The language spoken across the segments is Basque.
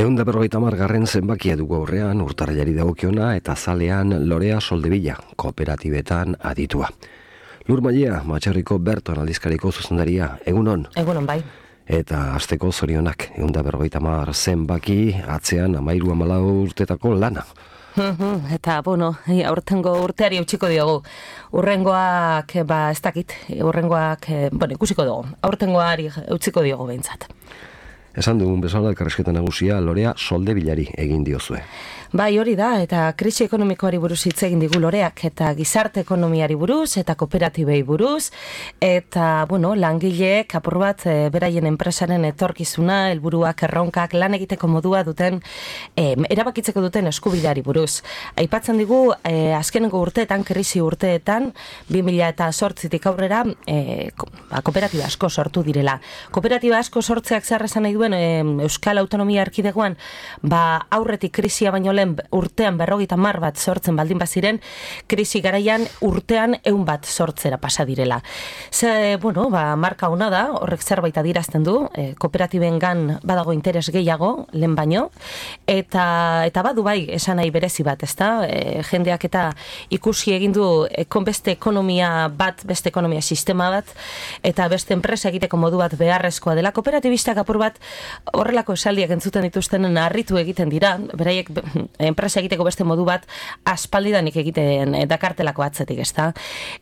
150. zenbakia dugu aurrean, urtarrilari dagokiona eta zalean Lorea Soldevilla, kooperatibetan aditua. Lur Mailea, Matxarriko Berton aldizkariko zuzendaria, egunon? Egunon, bai. Eta asteko zorionak, 150 zenbaki, atzean 13-14 urtetako lana. Eta, aurtengo urteari utziko diogu. Urrengoak, ez dakit, ikusiko dugu. Aurtengoari utziko diogu behintzat. Esan dugun bezala elkarrizketa nagusia Lorea Soldevillari egin diozue. Bai, hori da, eta krisi ekonomikoari buruz hitz egin digu Loreak, eta gizarte ekonomiari buruz, eta kooperatibei buruz, eta, langileek apur bat beraien enpresaren etorkizuna, helburuak, erronkak, lan egiteko modua duten, erabakitzeko duten eskubideari buruz. Aipatzen digu, azkeneko urteetan, krisi urteetan, 2008tik aurrera, kooperatiba asko sortu direla. Kooperatiba asko sortzeak zer esan nahi duen Euskal Autonomia Erkidegoan, aurretik krisia baino urtean 50 bat sortzen baldin baziren, krisi garaian urtean 100 bat sortzera pasa direla. Marka ona da, horrek zerbait adierazten du, kooperatibengan badago interes gehiago, lehen baino, eta badu bai esan nahi berezi bat, ezta? Jendeak eta ikusi egin du beste ekonomia bat, beste ekonomia sistema bat, eta beste enpresa egiteko modu bat beharrezkoa dela. Kooperatibistak apur bat horrelako esaldiak entzuten dituztenen harritu egiten dira, beraiek enpresa egiteko beste modu bat aspaldidanik egiten dakartelako atzetik, ezta?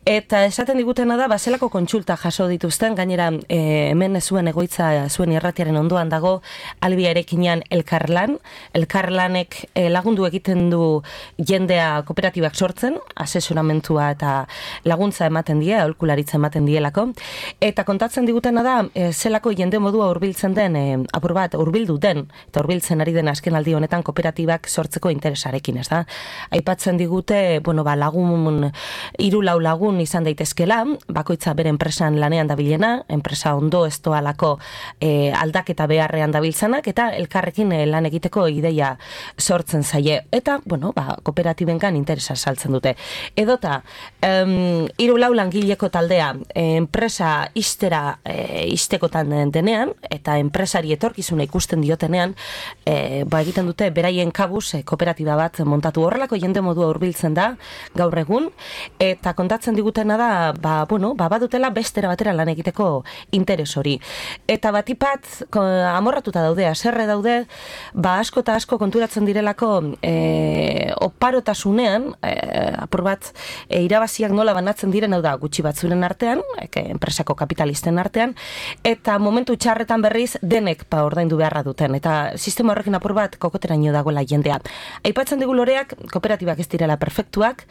Eta esaten digutena da, zelako kontsulta jaso dituzten, gainera hemen zuen egoitza, zuen irratiaren ondoan dago, Albia Erekinean elkarlanek lagundu egiten du jendea kooperatibak sortzen, asesoramentua eta laguntza ematen die, aholkularitza ematen dielako, eta kontatzen digutena da, zelako jende modua hurbiltzen den, apur bat, hurbildu den, eta hurbiltzen ari den azken aldi honetan kooperatibak sortzeko interesarekin, ez da? Aipatzen digute, lagun, 3-4 lagun izan daitezkela, bakoitza bere enpresan lanean dabilena, enpresa ondo ez doalako aldaketa beharrean dabiltzanak, eta elkarrekin lan egiteko ideia sortzen zaie. Eta, kooperatibengan interesa saltzen dute. Edota, 3-4 langileko taldea, enpresa iztekotan denean, eta enpresari etorkizuna ikusten diotenean, egiten dute beraien kabuz kooperatiba bat montatu. Horrelako jende modua hurbiltzen da gaur egun, eta kontatzen digutena da, badutela bestera batera lan egiteko interes hori. Eta batipat amorratuta daude, haserre daude, asko eta asko konturatzen direlako oparotasunean, apur bat, irabaziak nola banatzen diren, hau da, gutxi batzuren artean, enpresako kapitalisten artean, eta momentu txarretan berriz denek ordaindu beharra duten, eta sistema horrekin apur bat kokoteraino dagoela jendea. Aipatzen digu Loreak, kooperatibak ez direla perfektuak,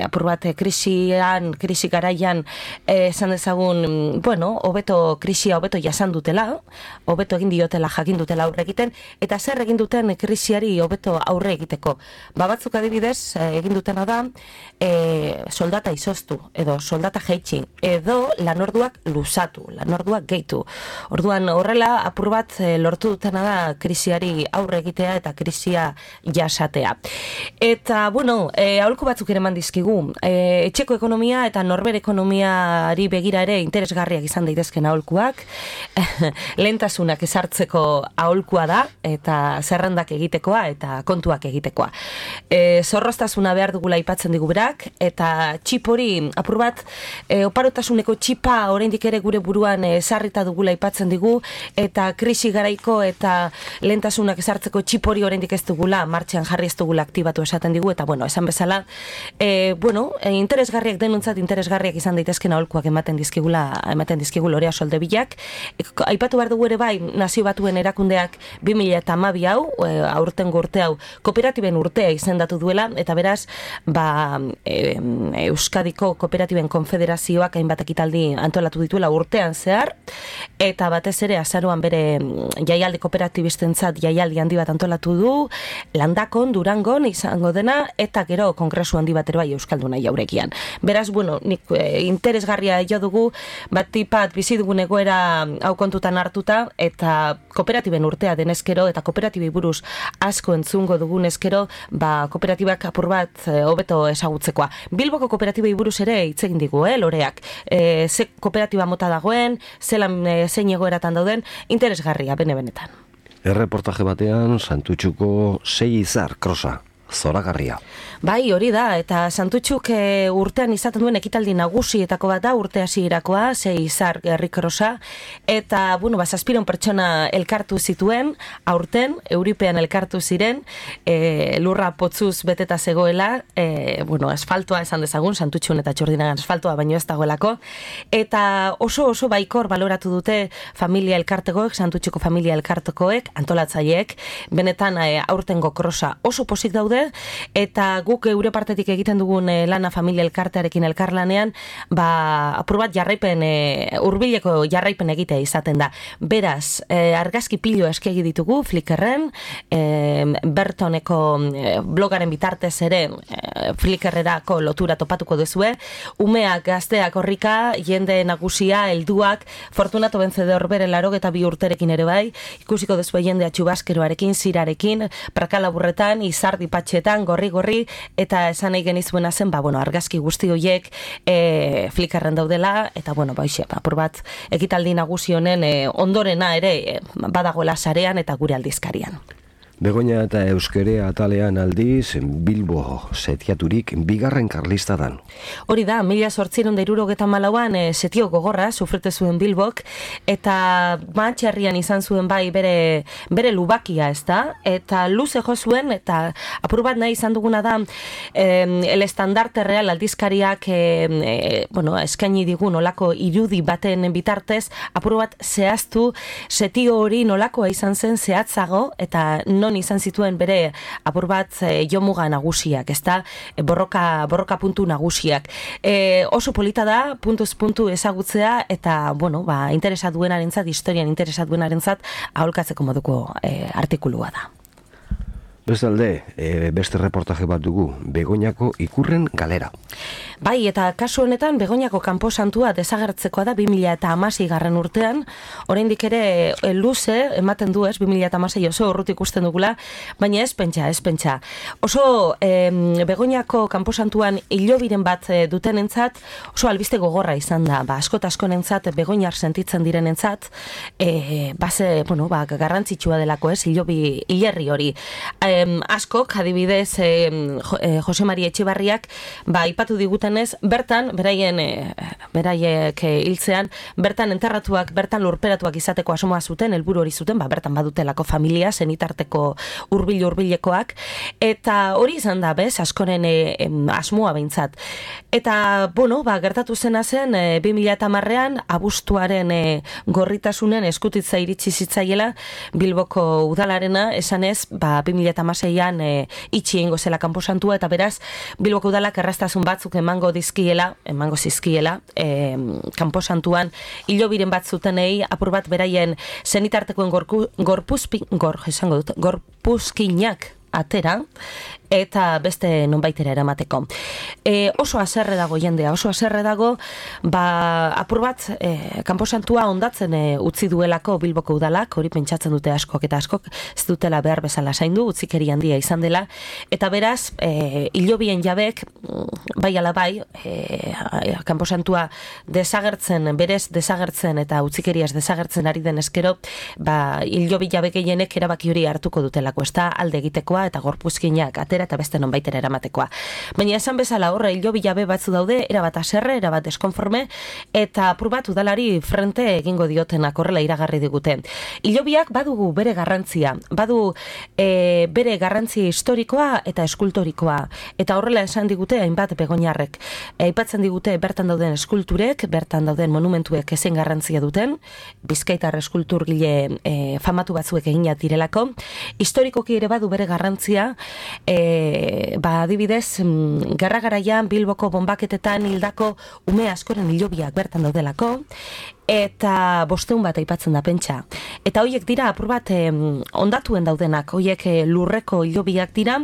apur bat krisi garaian esan dezagun, krisia hobeto jasan dutela, hobeto egin diotela, jakin dutela aurre egiten, eta zer egin duten krisiari hobeto aurre egiteko. Batzuk adibidez, egin dutena da, soldata izoztu, edo soldata jaitsi, edo lanorduak luzatu, lanorduak gehitu. Orduan horrela, apur bat lortu dutena da krisiari aurre egitea eta krisia jasatea. Eta, aholku batzuk ere eman dizkigu. Etxeko ekonomia eta norbere ekonomiari begira ere interesgarriak izan daitezken aholkuak. Lehentasunak ezartzeko aholkua da, eta zerrendak egitekoa eta kontuak egitekoa. Zorroztasuna behar dugula aipatzen digu berak, eta txip hori, apur bat, oparotasuneko txipa oraindik ere gure buruan ezarrita dugula aipatzen digu, eta krisi garaiko eta lehentasunak ezartzeko txip hori oraindik ez dugula, martxean jarri ez dugula aktibatu esaten digu, eta esan bezala, interesgarriak denuntzat, interesgarriak izan daitezken aholkuak ematen dizkigu Lorea Soldevillak. Aipatu behar dugu ere bai, Nazio Batuen erakundeak 2012 hau, aurtengo urte hau, kooperatiben urtea izendatu duela, eta beraz, Euskadiko Kooperatiben Konfederazioak hainbat ekitaldi antolatu dituela urtean zehar, eta batez ere azaroan bere jaialdi kooperatibistentzat jaialdi handi bat antolatu du, Landakon, Durangon izango dena, eta gero kongresu handi bat ere bai Euskalduna jaurekian. Beraz, nik interesgarria jo dugu, batipat bizi dugun egoera hau kontutan hartuta, eta kooperatiben urtea denezkero, eta kooperatibei buruz asko entzungo dugun ezkero, kooperatibak apur bat hobeto ezagutzekoa. Bilboko kooperatibei buruz ere hitz egin digu, Loreak. Ze kooperatiba mota dagoen, zein egoeratan dauden, interesgarria, benetan. Erreportaje batean, Santutxuko 6 izar krosa, zoragarria. Bai, hori da, eta Santutxuk urtean izaten duen ekitaldi nagusietako bat da, urte hasierakoa, 6 izar herrikrosa, eta, zazpiron pertsona elkartu zituen, aurten, euripean elkartu ziren, lurra potzuz beteta zegoela, asfaltoa esan dezagun, Santutxun eta Txurdinagan asfaltoa baino ez dagoelako, eta oso baikor baloratu dute familia elkartekoek, Santutxuko familia elkartekoek, antolatzaileek, benetan aurtengo krosa oso pozik daude, eta guk eure partetik egiten dugun lana familia elkartearekin elkarlanean, apur bat jarraipen, hurbileko jarraipen egitea izaten da. Beraz, argazki pilo eskegi ditugu, Flickrren, Bertoneko blogaren bitartez ere, Flickrrerako lotura topatuko duzue, umeak, gazteak horrika, jende nagusia, helduak, Fortunato Vencedor bere 82 urterekin ere bai, ikusiko duzue jendea txubaskeroarekin, zirarekin, prakalaburretan, izardi patxetan, gorri, eta esan nahi genizuena zen, argazki guzti horiek Flickrren daudela, eta apur bat ekitaldi nagusi honen ondorena ere badagoela sarean eta gure aldizkarian. Begoña eta Euskerea atalean aldiz, Bilbo setiaturik bigarren karlistadan. Hori da, 1874an setio gogorra sufrete zuen Bilbok, eta Matxarrian izan zuen bai bere lubakia, ez da? Eta luze jo zuen, eta apur bat nahi izan duguna da, el estandarte real aldizkariak eskaini digu nolako irudi baten bitartez, apur bat zehaztu setio hori nolakoa izan zen zehatzago, eta non izan zituen bere apur bat jomuga nagusiak, ezta? Borroka puntu nagusiak. Oso polita da, puntuz puntu ezagutzea, eta, interesa duenarentzat, historian interesa duenarentzat, aholkatzeko moduko artikulua da. Bestalde, beste reportaje bat dugu, Begoñako ikurren galera. Bai, eta kasu honetan, Begoñako kanposantua desagertzekoa da 2016 urtean, oraindik ere luze, ematen du 2016 oso urrutik ikusten dugula, baina ez pentsa. Oso Begoñako kanposantuan hilobiren bat dutenentzat, oso albiste gogorra izan da, askot-askonentzat, Begoñar sentitzen direnentzat, garrantzitsua delako hilerri hori. Askok, adibidez, Jose Mari Etxebarriak, ipatu digutenez, bertan, beraiek hiltzean, bertan enterratuak, bertan lurperatuak izateko asomoa zuten, helburu hori zuten, bertan badutelako familia, zenitarteko hurbilekoak, eta hori izan da, askoren asmoa behintzat. Eta, gertatu zena zen, 2010an, abuztuaren gorritasunen eskutitza iritsi zitzaiela, Bilboko udalarena, esanez, 2016an itxi egingo zela kanposantua, eta beraz, Bilboko udalak erraztasun batzuk emango zizkiela, kanposantuan hilobiren bat zutenei, apur bat beraien zenitartekoen gorpuzkinak atera, eta beste nonbaitera eramateko. Oso haserre dago jendea, apur bat kanposantua ondatzen utzi duelako Bilboko udalak, hori pentsatzen dute askok eta askok, ez dutela behar bezala zaindu, utzikeri handia izan dela, eta beraz, hilobien jabek, bai ala bai, kanposantua berez desagertzen eta utzikeriaz desagertzen ari den eskero, hilobi jabek gehienek erabaki hori hartuko dutelako, ez da alde egitekoa eta gorpuzkinak atera eta beste nonbaitera eramatekoa. Baina esan bezala horre hilobi jabe batzu daude, erabat haserre, erabat deskonforme, eta apur bat udalari frente egingo diotenak horrela iragarri digute. Hilobiak badugu bere garrantzia, bere garrantzia historikoa eta eskultorikoa, eta horrela esan digute hainbat Begoñarrek. Aipatzen digute bertan dauden eskulturek, bertan dauden monumentuek ezen garrantzia duten, Bizkaitar eskulturgile famatu batzuek eginat direlako, historikoki ere badu bere garrantzia, adibidez, gerra garaian Bilboko bonbaketetan hildako ume askoren hilobiak bertan daudelako, eta 500 bat aipatzen da pentsa. Eta hoiek dira apur bat ondatuen daudenak, hoiek lurreko hilobiak dira,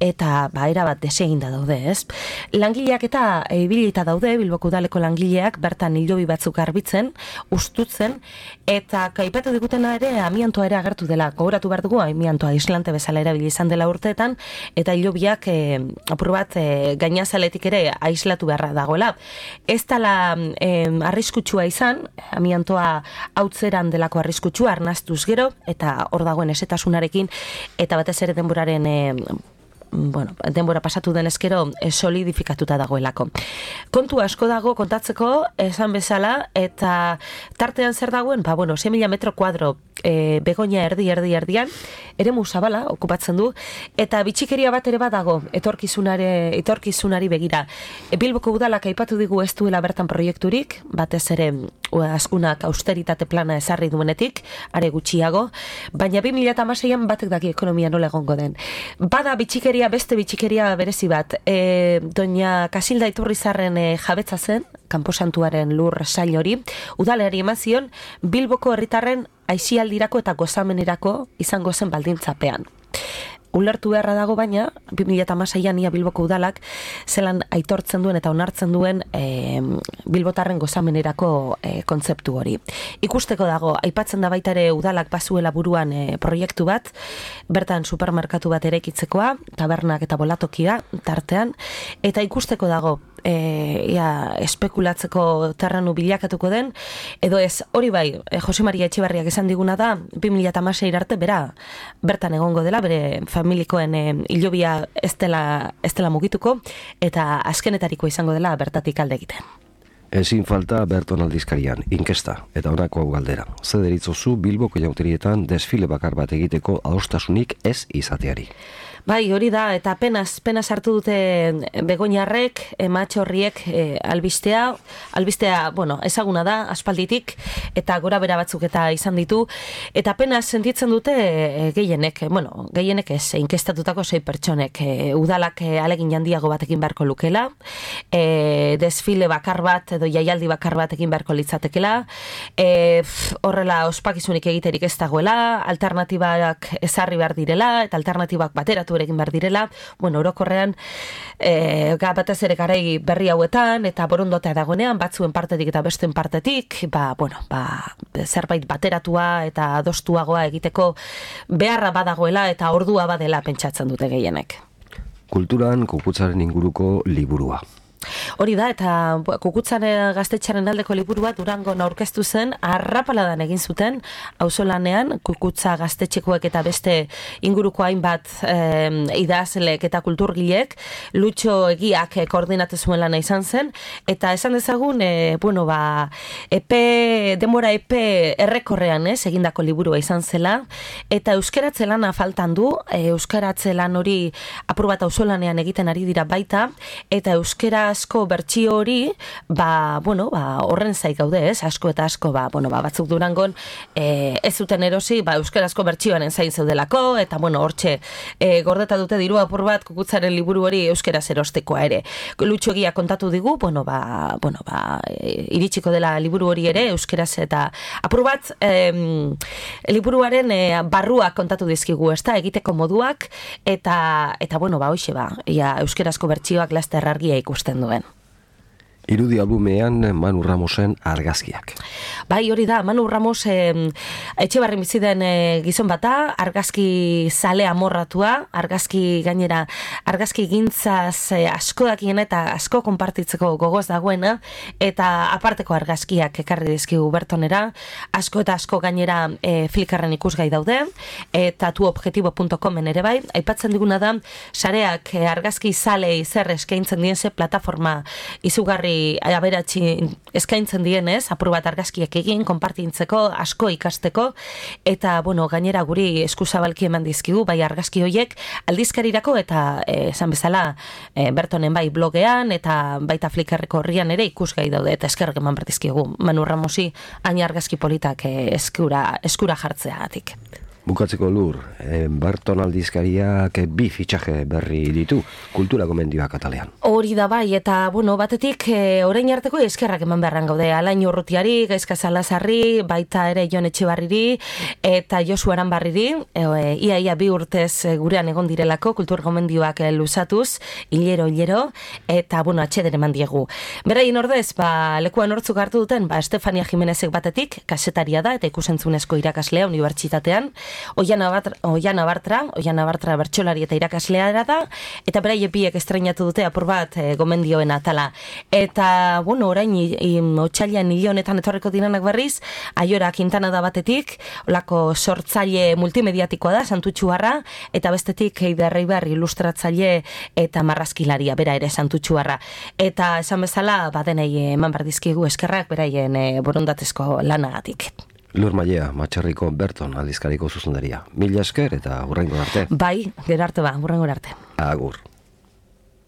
eta erabat deseginda daude, ez? Langileak eta ibilita daude, Bilboko udaleko langileak bertan hilobi batzuk garbitzen, ustutzen, eta aipatu digutena ere amiantoa ere agertu dela. Gogoratu behar dugu, amiantoa islante bezala erabili izan dela urteetan, eta hilobiak apur bat gainazaletik ere aislatu beharra dagoela. Ez dela arriskutsua izan, amiantoa hautzeran delako arriskutsua arnastuz gero, eta hor dagoen esetasunarekin, eta batez ere denbora pasatu denezkero solidifikatuta dagoelako. Kontu asko dago kontatzeko, esan bezala, eta tartean zer dagoen, 6.000 metro kuadro begonia erdian, eremu zabala okupatzen du, eta bitxikeria bat ere badago etorkizunari begira. Bilboko udalak aipatu digu ez duela bertan proiekturik, batez ere askunak austeritate plana ezarri duenetik, are gutxiago, baina 2016an batek daki ekonomia nola egongo den. Bada beste bitxikeria berezi bat, doña Kasilda Iturrizarren jabetza zen, Kanposantuaren lur sail hori, udaleari eman zion Bilboko herritarren aisialdirako eta gozamenerako izango zen baldintzapean. Ulertu beharra dago baina, 2016an ia Bilboko udalak zelan aitortzen duen eta onartzen duen bilbotarren gozamenerako kontzeptu hori. Ikusteko dago, aipatzen da baita ere udalak bazuela buruan proiektu bat, bertan supermerkatu bat erekitzekoa, tabernak eta bolatokia tartean, eta ikusteko dago, espekulatzeko terrenu bilakatuko den, edo ez, hori bai, Jose Maria Etxebarriak esan diguna da, 2016 arte bertan egongo dela, bere familikoen hilobia ez dela mugituko, eta azkenetariko izango dela bertatik alde egiten. Ezin falta Berton aldizkarian, inkesta, eta honako hau galdera. Zer deritzozu Bilboko jauterietan desfile bakar bat egiteko adostasunik ez izateari? Bai, hori da, eta penaz hartu dute begoñarrek, matxorriek albistea, ezaguna da, aspalditik, eta gora bera batzuk eta izan ditu, eta penaz sentitzen dute gehienek ez, inkestatutako 6 pertsonek, udalak alegin handiago batekin beharko lukela, desfile bakar bat edo jaialdi bakar bat egin beharko litzatekela, horrela ospakizunik egiterik ez dagoela, alternatibak ezarri behar direla, eta alternatibak bateratu egin behar direla, orokorrean batez ere garai berri hauetan, eta borondotea dagoenean, batzuen partetik eta besten partetik, zerbait bateratua eta adostuagoa egiteko beharra badagoela eta ordua badela pentsatzen dute gehienek. Kulturan kukutzaren inguruko liburua. Hori da, eta Kukutzan gaztetxaren aldeko liburua Durangon aurkeztu zen, arrapaladan egin zuten, auzolanean, Kukutza gaztetxekoek eta beste inguruko hainbat idazleek eta kulturgileek, Lutxo Egiak koordinatu zuen lana izan zen, eta esan dezagun, denbora errekorrean egindako liburua izan zela, eta euskeratze lana faltan du, euskaratze lan hori apur bat auzolanean egiten ari dira baita, eta euskera asko bertsio hori, horren zaik gaude, asko eta asko, batzuk Durangon ez zuten erosi, euskarazko bertsioaren zain zeudelako, eta hortxe gordeta dute diru apur bat Kukutzaren liburu hori euskaraz erostekoa ere. Lutxo Egia kontatu digu, iritsiko dela liburu hori ere euskaraz, eta apur bat liburuaren barruak kontatu dizkigu, egiteko moduak, eta euskarazko bertsioak laster argia ikusten duen. Irudi albumean Manu Ramosen argazkiak. Bai, hori da, Manu Ramos Etxebarri bizi den gizon bata, argazki zale amorratua, argazki gintzaz asko dakien eta asko konpartitzeko gogoz dagoena, eta aparteko argazkiak ekarri dizkigu Bertonera, asko eta asko gainera Flickrren ikusgai daude, eta tuobjetibo.comen ere bai, aipatzen diguna da, sareak argazki zalei zer eskaintzen dienze plataforma izugarri aberatsi eskaintzen dienez, apur bat argazkiak egin, konpartintzeko, asko ikasteko, eta, gainera guri eskuzabalki eman dizkigu, bai argazki hoiek, aldizkarirako, eta, esan bezala, Bertonen bai blogean, eta baita Flickrreko horrian ere ikusgai daude, eta eskerrak eman berdizkigu. Manu Ramosi, hain argazki politak eskura jartzeagatik. Bukatzeko Lur, Berton aldizkariak 2 fitxaje berri ditu, kultura gomendioak atalean. Hori da bai, eta batetik orain arteko eskerrak eman beharran gaude, Alain Urrutiari, Gaizka Salazarri, baita ere Jon Etxebarriri, eta Josu Aranbarriri, ia 2 urtez gurean egon direlako, kultur gomendioak luzatuz, hilero, eta atxeder eman diegu. Beraien ordez, lekuan hortzuk hartu duten, Estefania Jimenezek batetik, kasetaria da, eta ikusentzunezko irakaslea unibertsitatean, Oiana Bartra bertsolari eta irakaslea da, eta beraie biek estreinatu dute apur bat gomendioen atala. Eta, bueno, orain otsailean hil honetan etorriko diranak berriz, Aiora Quintana da batetik, olako sortzaile multimediatikoa da, Santutxuarra, eta bestetik Eider Reiber ilustratzaile eta marrazkilaria, bera ere Santutxuarra. Eta esan bezala, badenei eman berdizkigu eskerrak beraien borondatezko lanagatik. Lur Maiea, Matxarriko Berton aldizkariko zuzendaria. Mila esker eta hurrengo arte. Bai, gero arte hurrengo arte. Agur.